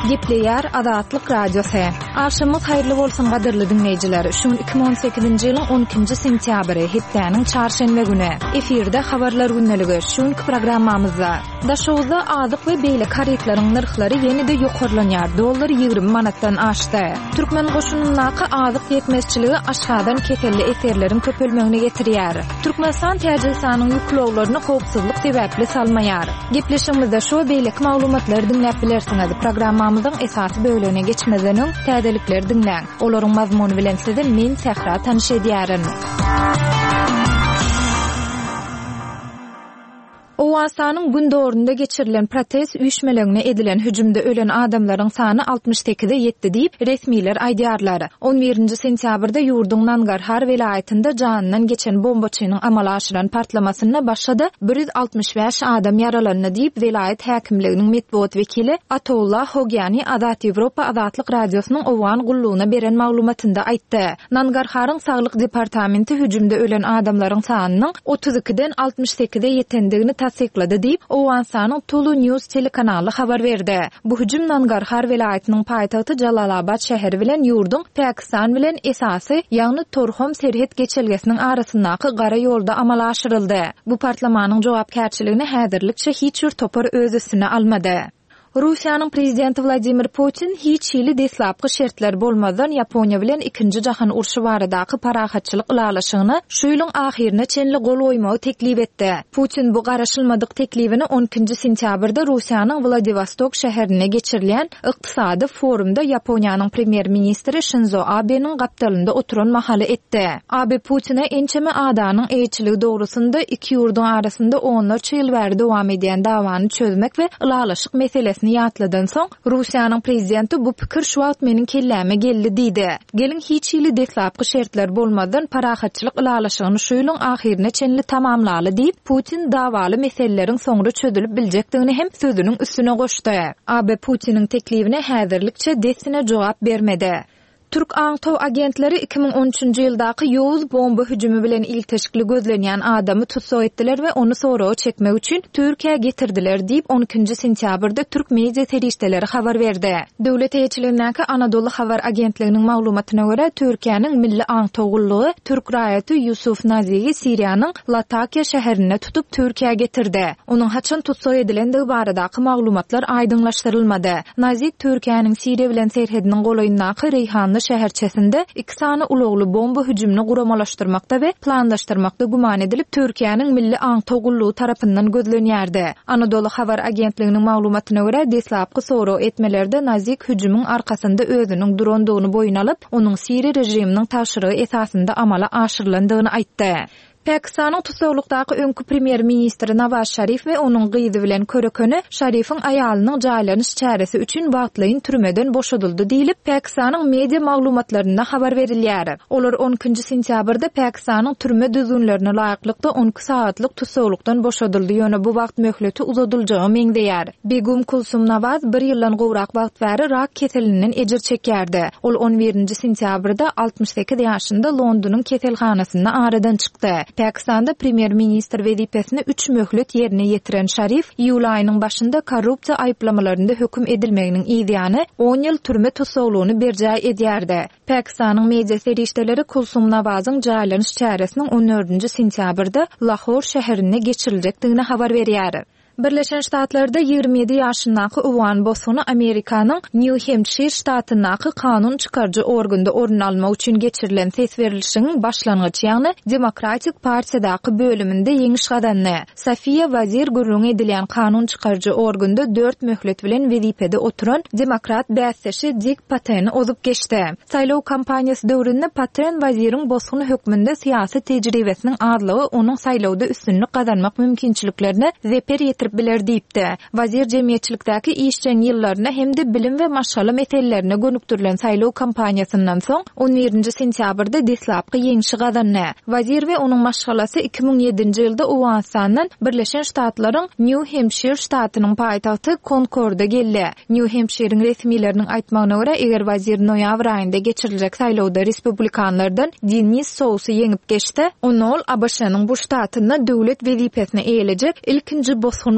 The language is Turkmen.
Gepleýär Azatlyk Radiosy. Agşamyňyz haýyrly bolsun gadyrly diňleýjiler. Şu gün 2018-nji ýylyň 12-nji sentýabry, hepdäniň çarşenbe güni. Efirde Habarlar gündeligi. Şu günki programmamyzda. Daşoguzda azyk we beýleki harytlaryň nyrhlary ýene-de ýokarlanýar, dollar 20 manatdan aşdy. Türkmen goşunyndaky azyk ýetmezçiligi aşgazan keselli esgerleriň köpelmegine getirýär. Türkmenistan Täjigistanyň ýük ulaglaryny howpsuzlyk sebäpli salmaýar. Gepleşigimizde şu we beýleki maglumatlary diňläp bilersiňiz. Programmamyzyň esasy bölegine geçmezden öň, täzelikleri diňläň. Olaryň mazmuny bilen sizi men, Sähra, tanyş edýärin. Owganystanyň gündogarynda geçirilen protest üýşmeleňine edilen hüjümde ölen adamlaryň sany 68-e ýetdi diýip, resmiler aýdýarlar. On birinji sentýabrda ýurduň Nangarhar welaýatynda janyndan geçen bombaçynyň amala aşyran partlamasynda başga-da 165 adam ýaralandy diýip, welaýat häkimliginiň metbugat wekili Atollah Hogyani Azat Ýewropa Azatlyk Radiosynyň Owgan gullugyna beren maglumatynda aýtdy. Nangarharyň saglyk departamenti hüjümde ölen adamlaryň sanynyň 32-den 68-e ýetendigini tassyklady diýip, Owganystanyň Tulu News telekanaly habar berdi. Bu hüjüm Nangarhar welaýatynyň paýtagty Jalalabat şäheri bilen ýurduň Pakistan bilen esasy, ýagny Torhom serhet geçelgesiniň arasyndaky gara ýolda amala aşyryldy. Bu partlamanyň jogapkärçiligini häzirlikçe hiç bir topar öz üstüne almady. Russiýanyň prezidenti Wladimir Putin hiç hili deslapky şertler bolmazdan Ýaponiýa bilen Ikinji jahan urşy baradaky parahatçylyk ylalaşygyna şu ýylyň ahyryna çenli gol goýmagy teklip etdi. Putin bu garaşylmadyk teklibini on ikinji sentýabrda Russiýanyň Wladiwostok şäherinde geçirilýän ykdysady forumda Ýaponiýanyň premýer-ministri Şinzo Abeniň gapdalynda oturan mahaly etdi. Abe Putine ençeme adanyň eýeçiligi dogrusynda iki ýurduň arasynda onlarça ýyl bäri dowam edýän dawany çözmek we ylalaşyk meselesini ýatladansoň, Russiýanyň prezidenti bu pikir şu wagt meniň kelläme geldi diýdi. Geliň hiç hili deslapky şertler bolmazdan parahatçylyk ylalaşygyny şu ýylyň ahyryna çenli tamamlaly diýip, Putin dawaly meseleleriň soňra çözülip biljekdigini hem sözüniň üstüne goşdy. AB Putiniň teklibine häzirlikçe dessine jogap bermedi. Türk aňtaw agentleri 2013-nji ýyldaky ýowuz bomba hüjümi bilen ilteşikli gözlenýän adamy tussag etdiler we ony soraga çekmek üçin Türkiýä getirdiler diýip, on ikinji sentýabrda türk media serişdeleri habar berdi. Döwlet eýeçiligindäki Anadolu habar agentliginiň maglumatyna görä, Türkiýäniň Milli aňtaw gullugy türk raýaty Ýusuf Nazigi Siriýanyň Latakiýa şäherinde tutup, Türkiýä getirdi. Onuň haçan tussag edilendigi baradaky maglumatlar aýdyňlaşdyrylmady. Nazik Türkiýäniň Siriýa bilen serhediniň golaýyndaky Reýhanly şäherçesinde iki sany ulagly bomba hüjümini guramalaşdyrmakda we planlaşdyrmakda güman edilip, Türkiýäniň Milli aňtaw gullugy tarapyndan gözlenýärdi. Anadolu habar agentliginiň maglumatyna görä, deslapky sorag etmelerde Nazik hüjümiň arkasynda özüniň durandygyny boýun alyp, onuň siriýa režiminiň tabşyrygy esasynda amala aşyrylandygyny aýtdy. Pakistanyň tussaglykdaky öňki premýer-ministri Nawaz Şarif we onuň gyzy bilen körekeni Şarifiň aýalynyň jaýlanyş çäresi üçin wagtlaýyn türmeden boşadyldy diýlip, Pakistanyň media maglumatlarynda habar berilýär. Olar on ikinji sentýabrda Pakistanyň türme düzgünlerine laýyklykda on iki sagatlyktussaglykdan boşadyldy, ýöne bu wagt möhleti uzadyljaga meňzeýär. Begum Kulsum Nawaz bir ýyldan gowrak wagt bäri rak keselinden ejir çekýärdi. Ol on birinji sentýabrda 68 ýaşynda Londonyň keselhanasynda aradan çykdy. Pakistanda premýer-ministr wezipesini üç möhlet ýerine ýetiren Şarif iýul aýynyň başynda korrupsiýa aýyplamalarynda höküm edilmeginiň yzýany on ýyl türme tussaglygyny berjaý edýärdi. Pakistanyň media serişdeleri Kulsum Nawazyň jaýlanyş çäresiniň on dördünji sentýabrda Lahor şäherinde geçiriljekdigini habar berýär. Birleşen Ştatlarda 27 ýaşyndaky owgan bosguny Amerikanyň Nýu-Hempşir ştatyndaky kanun çykaryjy organda orun almak üçin geçirilen ses berlişigiň başlangyç, ýagny Demokratik partiýadaky bölüminde ýeňiş gazandy. Sofiýa Wazir gürrüňi edilýän kanun çykaryjy organda dört möhlet bilen wezipede oturan demokrat bäsdeşi Dik Pateni ozup geçdi. Saýlaw kampaniýasy döwründe Paten Waziriň bosgun hökmünde syýasy tejribesiniň azlygy onuň saýlawda üstünlik gazanmak mümkinçiliklerine zeper ýetirip biler diýipdi. Wazir jemgyýetçilikdäki işjeň ýyllaryna hem-de bilim we maşgala meselelerine gönükdirilen saýlaw kampaniýasyndan soň, on birinji sentýabrda deslapky ýeňşi gazandy. Wazir we onuň maşgalasy 2007-nji ýylda Owganystandan Birleşen Ştatlaryň Nýu-Hempşir ştatynyň paýtagty Konkorda geldi. Nýu-Hempşiriň resmileriniň aýtmagyna görä, eger Wazir noýabr aýynda geçiriljek saýlawda respublikanlardan Denis Sousy ýeňip geçse, onda ol ABŞ-nyň bu ştatynda döwlet wezipesini eýelejek ilkinji bosgun bolar.